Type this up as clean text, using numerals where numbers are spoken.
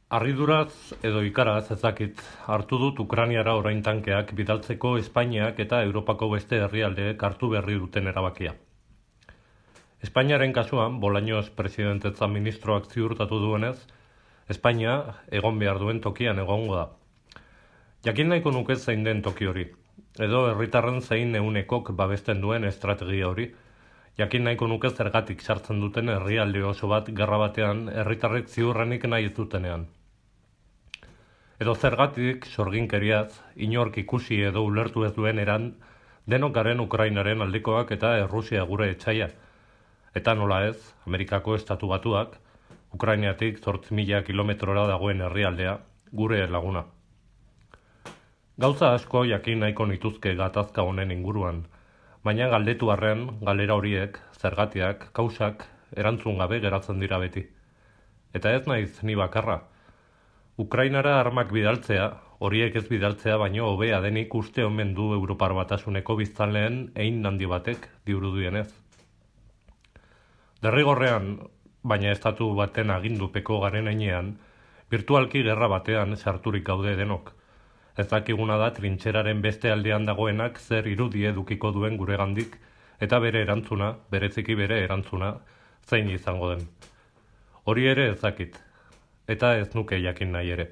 Harriduraz edo ikaraz ezakit hartu dut Ukrainiara orain tankeak bidaltzeko Espainiak eta Europako beste herrialdeek hartu berri duten erabakia. Espainiaren kasuan, Bolaños presidentetza ministroak ziurtatu duenez, Espainia egon behar duen tokian egongo da. Jakin nahiko nuke zein den toki hori, edo herritarren zein ehunekok babesten duen estrategia hori, jakin nahiko nuke zergatik sartzen duten herrialde oso bat gerra batean herritarrek ziurrenik nahi ez dutenean. Edo zergatik sorginkeriaz, inork ikusi edo ulertu ez duen eran, denok garen Ukrainaren aldekoak eta Errusia gure etxaia. Eta nola ez, Amerikako estatu batuak, Ukrainiatik 8.000 kilometrora dagoen herrialdea, gure laguna. Gauza asko jakin nahiko nituzke gatazka honen inguruan, baina galdetu arren, galera horiek, zergatiak, kausak, erantzun gabe geratzen dira beti. Eta ez naiz ni bakarra. Ukrainara armak bidaltzea, horiek ez bidaltzea baino hobea denik uste omen du Europar Batasuneko biztanleen hein handi batek dirudienez. Derrigorrean, baina estatu baten agindupeko garen heinean, virtualki gerra batean sarturik gaude denok. Ez dakiguna da trintxeraren beste aldean dagoenak zer irudi edukiko duen guregandik, eta bere erantzuna, bereziki bere erantzuna, zein izango den. Hori ere ez dakit. Eta ez nuke jakin nahi ere.